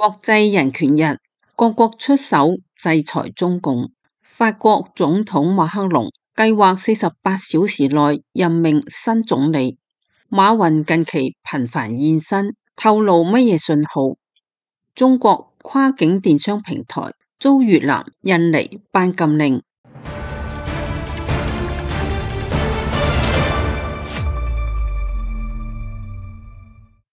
國際人權日，各國出手制裁中共。法國總統馬克龍計劃48小時內任命新總理。馬雲近期頻繁現身，透露乜嘢信號？中國跨境電商平台遭越南、印尼頒禁令。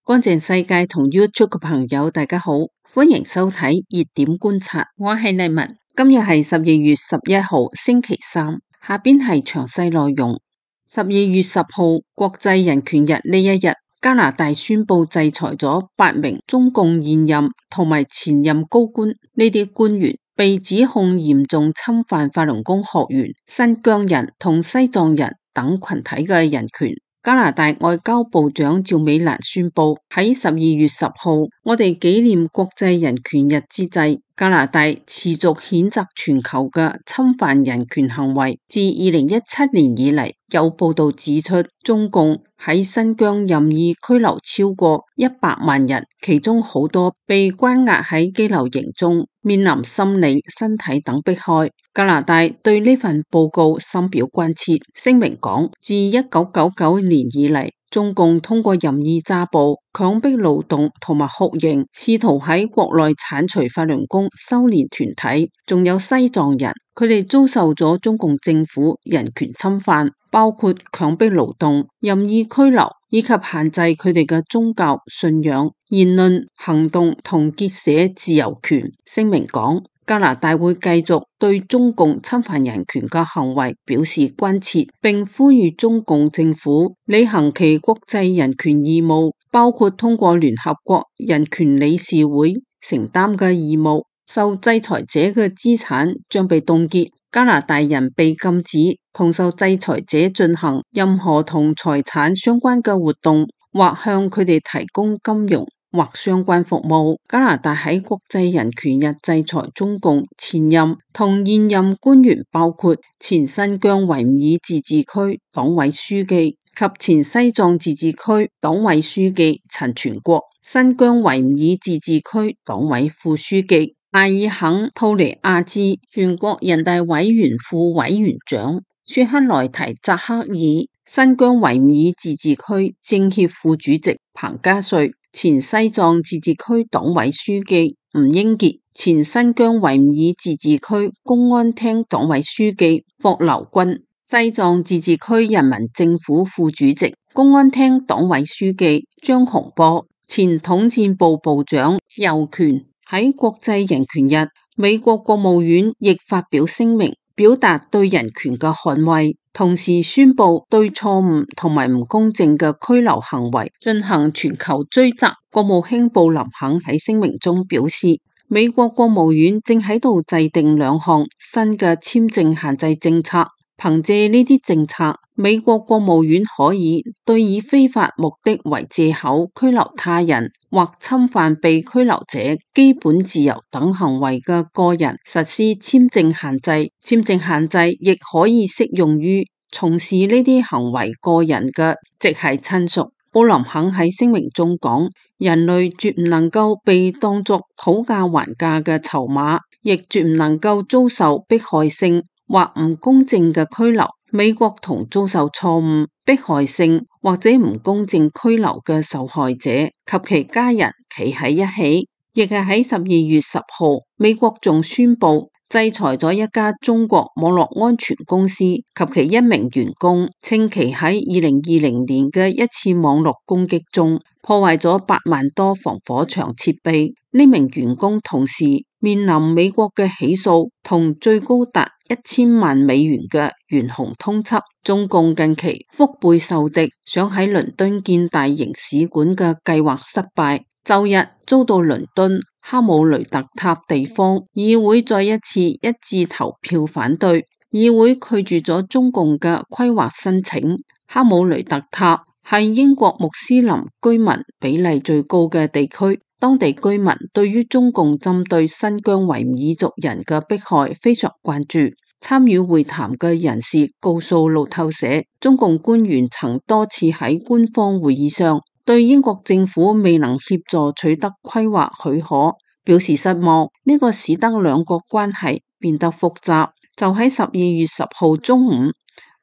乾淨世界同 YouTube 嘅朋友，大家好，歡迎收睇熱點觀察，我係麗文。今日係12月11號星期三，下邊係詳細內容。12月10號國際人權日呢一日，加拿大宣布制裁咗8名中共現任同埋前任高官，呢啲官員被指控嚴重侵犯法輪功學員、新疆人同西藏人等群體嘅人權。加拿大外交部長趙美蘭宣布，喺12月10號，我哋紀念國際人權日之際，加拿大持續譴責全球嘅侵犯人權行為。自2017年以嚟，有報道指出，中共喺新疆任意拘留超過100萬人，其中好多被關押喺羈留營中，面臨心理、身體等迫害。加拿大對呢份報告深表關切，聲明講，自1999年以嚟，中共通過任意抓捕、強迫勞動同埋酷刑，試圖喺國內剷除法輪功修煉團體，仲有西藏人，佢哋遭受咗中共政府人權侵犯，包括強迫勞動、任意拘留以及限制佢哋嘅宗教信仰、言論、行動同結社自由權。聲明講，加拿大會繼續對中共侵犯人權嘅行為表示關切，並呼籲中共政府履行其國際人權義務，包括通過聯合國人權理事會承擔嘅義務。受制裁者嘅資產將被凍結，加拿大人被禁止同受制裁者進行任何同財產相關嘅活動，或向佢哋提供金融或相關服務。加拿大喺國際人權日制裁中共前任同現任官員，包括前新疆維吾爾自治區黨委書記及前西藏自治區黨委書記陳全國、新疆維吾爾自治區黨委副書記阿爾肯吐尼亞孜、全國人大委員副委員長舒克萊提扎克爾、新疆維吾爾自治區政協副主席彭家瑞、前西藏自治區黨委書記吳英傑、前新疆維吾爾自治區公安廳黨委書記霍留軍、西藏自治區人民政府副主席、公安廳黨委書記張洪波、前統戰部部長尤權。喺國際人權日，美國國務院亦發表聲明，表達對人權嘅捍衛，同時宣布對錯誤同埋唔公正嘅拘留行為進行全球追責。國務卿布林肯喺聲明中表示，美國國務院正喺度制定2項新嘅簽證限制政策。憑借呢啲政策，美國國務院可以對以非法目的為借口拘留他人或侵犯被拘留者基本自由等行為嘅個人實施簽證限制。簽證限制亦可以適用於從事呢啲行為個人嘅直系親屬。布林肯喺聲明中講，人類絕唔能夠被當作討價還價嘅籌碼，亦絕唔能夠遭受迫害性或唔公正嘅拘留。美國同遭受錯誤、迫害性或者唔公正拘留嘅受害者及其家人企喺一起。亦係喺12月10號，美國仲宣布制裁咗一家中國網絡安全公司及其1名員工，稱其喺2020年嘅一次網絡攻擊中破壞咗8萬多防火牆設備。呢名員工同時面臨美國嘅起訴同最高達1000萬美元嘅懸紅通緝。中共近期腹背受敵，想喺倫敦建大型使館嘅計劃失敗，周日遭到倫敦哈姆雷特塔地方議會再一次一致投票反對，議會拒絕咗中共嘅規劃申請。哈姆雷特塔係英國穆斯林居民比例最高嘅地區，當地居民對於中共針對新疆維吾爾族人嘅迫害非常關注。參與會談嘅人士告訴路透社，中共官員曾多次喺官方會議上對英國政府未能協助取得規劃許可表示失望。呢個使得兩國關係變得複雜。就喺12月10號中午，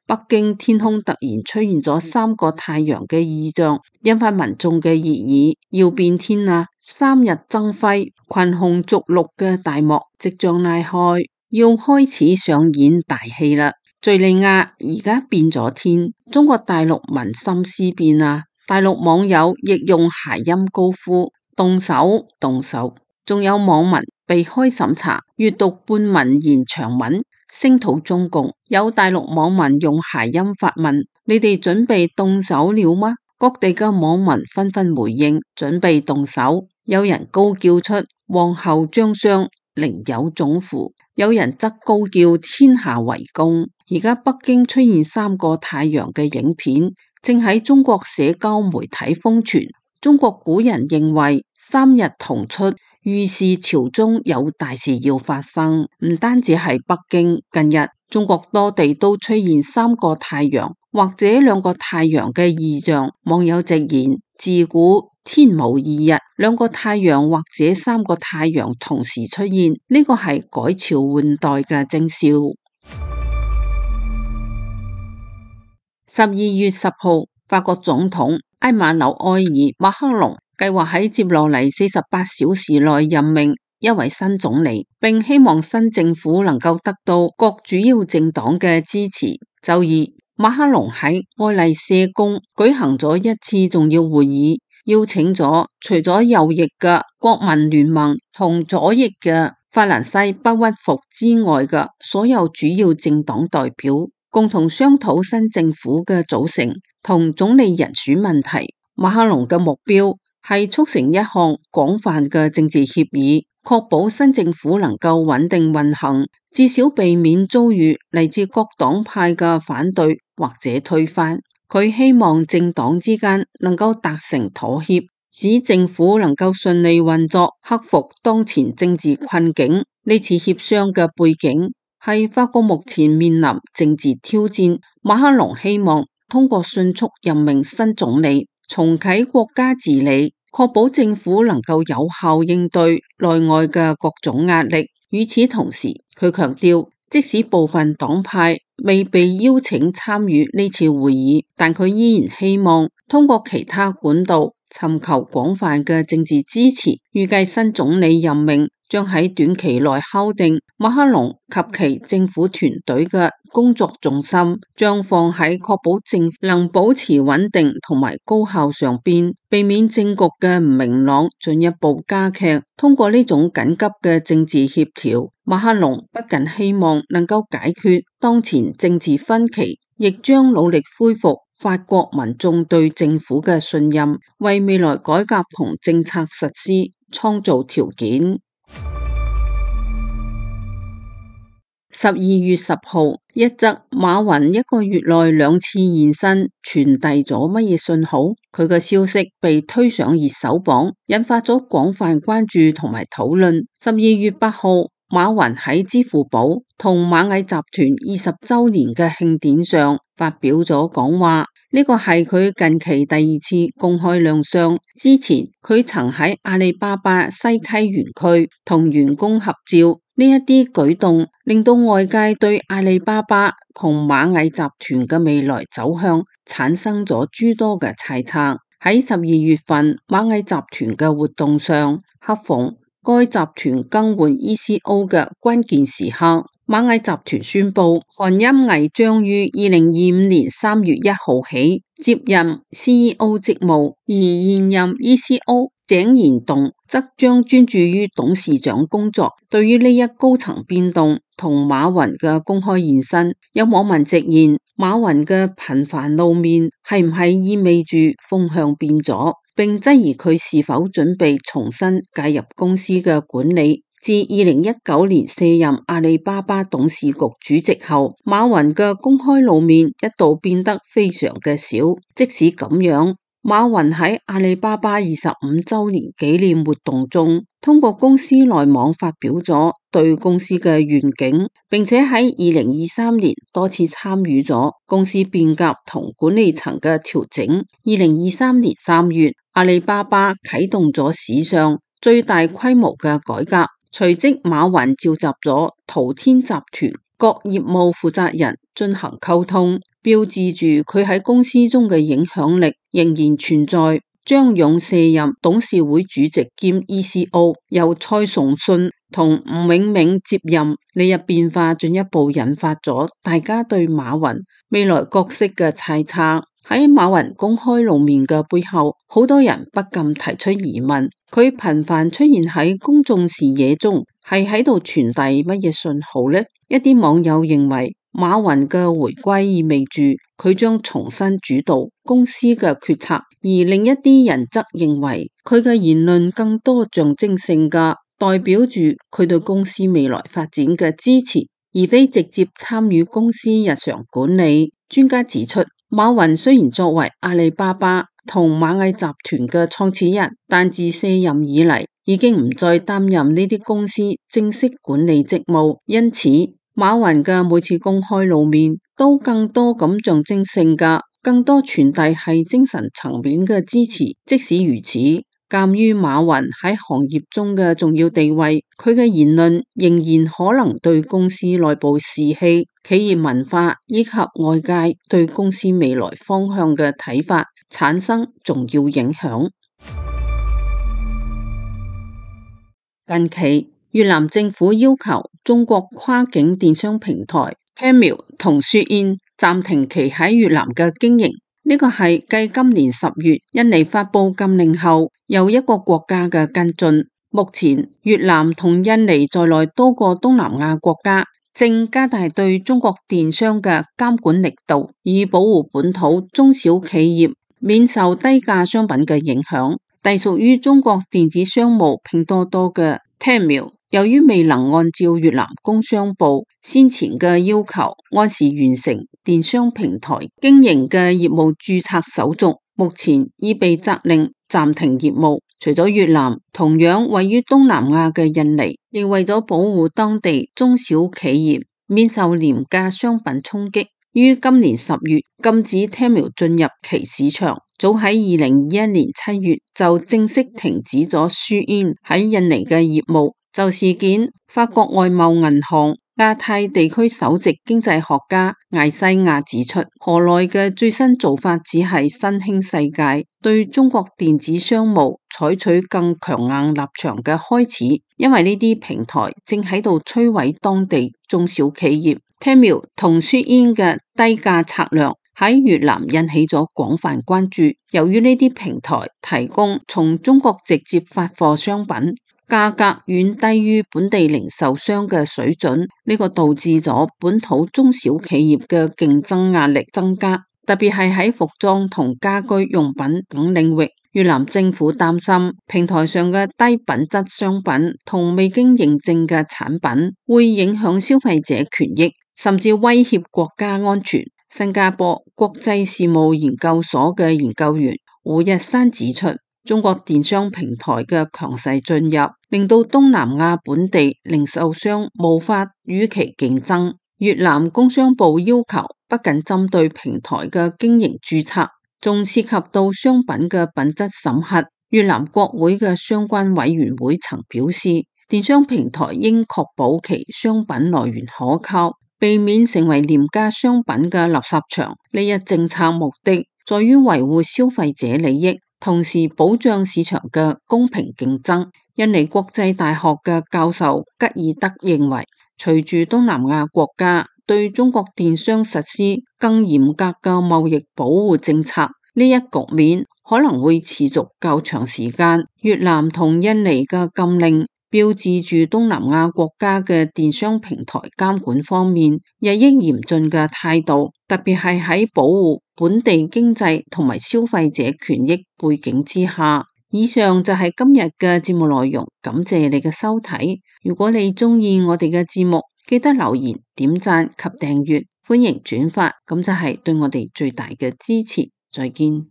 北京天空突然出現咗3個太陽嘅異象，引發民眾嘅熱議。要變天啦！3日爭輝，群雄逐鹿嘅大幕即將拉開，要開始上演大戲啦！敘利亞而家變咗天，中國大陸民心思變啊！大陸網友亦用諧音高呼動手動手，仲有網民避開審查，閱讀半文言長文，聲討中共。有大陸網民用諧音發問：你哋準備動手了嗎？各地嘅網民紛紛回應準備動手，有人高叫出皇后將相，寧有種乎，有人則高叫天下為公。而家北京出現3個太陽嘅影片，正喺中國社交媒體瘋傳。中國古人認為3日同出，預示朝中有大事要發生。唔單止係北京，近日中國多地都出現3個太陽或者2個太陽嘅異象。網友直言，自古天無2日，2個太陽或者3個太陽同時出現，呢個係改朝換代嘅徵兆。12月10號，法國總統埃馬紐埃爾馬克龍計劃喺接落嚟48小時內任命一位新總理，並希望新政府能夠得到各主要政黨嘅支持。周二，馬克龍喺愛麗舍宮舉行咗一次重要會議，邀請咗除咗右翼嘅國民聯盟同左翼嘅法蘭西不屈服之外嘅所有主要政黨代表，共同商討新政府嘅組成同總理人選問題。馬克龍嘅目標係促成一項廣泛嘅政治協議，確保新政府能夠穩定運行，至少避免遭遇嚟自各黨派嘅反對或者推翻。佢希望政黨之間能夠達成妥協，使政府能夠順利運作，克服當前政治困境。呢次協商嘅背景係法國目前面臨政治挑戰，馬克龍希望通過迅速任命新總理，重啟國家治理，確保政府能夠有效應對內外嘅各種壓力。與此同時，佢強調，即使部分黨派未被邀請參與呢次會議，但佢依然希望通過其他管道尋求廣泛嘅政治支持。預計新總理任命將喺短期內敲定，馬克龍及其政府團隊嘅工作重心將放喺確保政府能保持穩定同埋高效上邊，避免政局嘅唔明朗進一步加劇。通過呢種緊急嘅政治協調，馬克龍不僅希望能夠解決當前政治分歧，亦將努力恢復法國民眾對政府嘅信任，為未來改革同政策實施創造條件。12月10號，一則馬雲1個月內2次現身，傳遞咗乜嘢信號？佢嘅消息被推上熱搜榜，引發咗廣泛關注同埋討論。12月8號，馬雲喺支付寶同螞蟻集團20週年嘅慶典上發表咗講話，呢個係佢近期第2次公開亮相。之前佢曾喺阿里巴巴西溪園區同員工合照。呢一啲舉動令到外界對阿里巴巴同螞蟻集團嘅未來走向產生咗諸多嘅猜測。喺12月份螞蟻集團嘅活動上，恰逢該集團更換 ECO 嘅關鍵時刻，螞蟻集團宣布韓欽毅將於2025年3月1號起接任 CEO 職務，而現任 ECO井賢棟則將專注於董事長工作。對於呢一高層變動同馬雲嘅公開現身，有網民直言馬雲嘅頻繁露面係唔係意味住風向變咗，並質疑佢是否準備重新介入公司嘅管理。自2019年卸任阿里巴巴董事局主席後，馬雲嘅公開露面一度變得非常嘅少。即使咁樣，馬雲喺阿里巴巴25週年紀念活動中，通過公司內網發表咗對公司嘅願景，並且喺2023年多次參與咗公司變革同管理層嘅調整。2023年3月，阿里巴巴啟動咗史上最大規模嘅改革。隨即，馬雲召集咗淘天集團各業務負責人進行溝通，標誌住佢喺公司中嘅影響力仍然存在。張勇卸任董事會主席兼 ECO， 由蔡崇信同吳永明接任，呢一變化進一步引發咗大家對馬雲未來角色嘅猜測。喺馬雲公開露面嘅背後，好多人不禁提出疑問：佢頻繁出現喺公眾視野中，係喺度傳遞乜嘢信號呢？一啲網友認為，馬雲嘅回歸意味住佢將重新主導公司嘅決策，而另一啲人則認為佢嘅言論更多象徵性嘅，代表住佢對公司未來發展嘅支持，而非直接參與公司日常管理。專家指出，馬雲雖然作為阿里巴巴同螞蟻集團嘅創始人，但自卸任以嚟已經唔再擔任呢啲公司正式管理職務，因此馬雲嘅每次公開露面都更多咁象徵性嘅，更多傳遞係精神層面嘅支持。即使如此，鑒於馬雲喺行業中嘅重要地位，佢嘅言論仍然可能對公司內部士氣、企業文化以及外界對公司未來方向嘅睇法產生重要影響。近期，越南政府要求中國跨境電商平台 Temu 同 Shein 暫停其喺越南嘅經營。呢個係繼今年10月印尼發布禁令後，又一個國家嘅跟進。目前，越南同印尼在內多個東南亞國家正加大對中國電商嘅監管力度，以保護本土中小企業免受低價商品嘅影響。隸屬於中國電子商務拼多多嘅 Temu， 由於未能按照越南工商部先前嘅要求按時完成電商平台經營嘅業務註冊手續，目前已被責令暫停業務。除咗越南，同樣位於東南亞嘅印尼，亦為咗保護當地中小企業免受廉價商品衝擊，於今年10月禁止 Temu 進入其市場。早喺2021年7月就正式停止咗 Shein 喺印尼嘅業務。就事件，法國外貿銀行亞太地區首席經濟學家艾西亞指出，河內嘅最新做法只係新興世界對中國電子商務採取更強硬立場嘅開始，因為呢啲平台正喺度摧毀當地中小企業。Temu 同 Shein 嘅低價策略喺越南引起咗廣泛關注，由於呢啲平台提供從中國直接發貨商品，價格遠低於本地零售商嘅水準，呢個導致咗本土中小企業嘅競爭壓力增加，特別係喺服裝同家居用品等領域。越南政府擔心平台上嘅低品質商品同未經認證嘅產品會影響消費者權益，甚至威脅國家安全。新加坡國際事務研究所嘅研究員胡日山指出，中國電商平台嘅強勢進入，令到東南亞本地零售商無法與其競爭。越南工商部要求不僅針對平台嘅經營註冊，仲涉及到商品嘅品質審核。越南國會嘅相關委員會曾表示，電商平台應確保其商品來源可靠，避免成為廉價商品嘅垃圾場。呢一政策目的在於維護消費者利益，同時保障市場嘅公平競爭。印尼國際大學嘅教授吉爾德認為，隨住東南亞國家對中國電商實施更嚴格嘅貿易保護政策，呢一局面可能會持續較長時間。越南同印尼嘅禁令標誌住東南亞國家嘅電商平台監管方面日益嚴峻嘅態度，特別係喺保護本地經濟同埋消費者權益背景之下。以上就係今日嘅節目內容，感謝你嘅收睇。如果你鍾意我哋嘅節目，記得留言、點讚及訂閱，歡迎轉發，咁就係對我哋最大嘅支持。再見。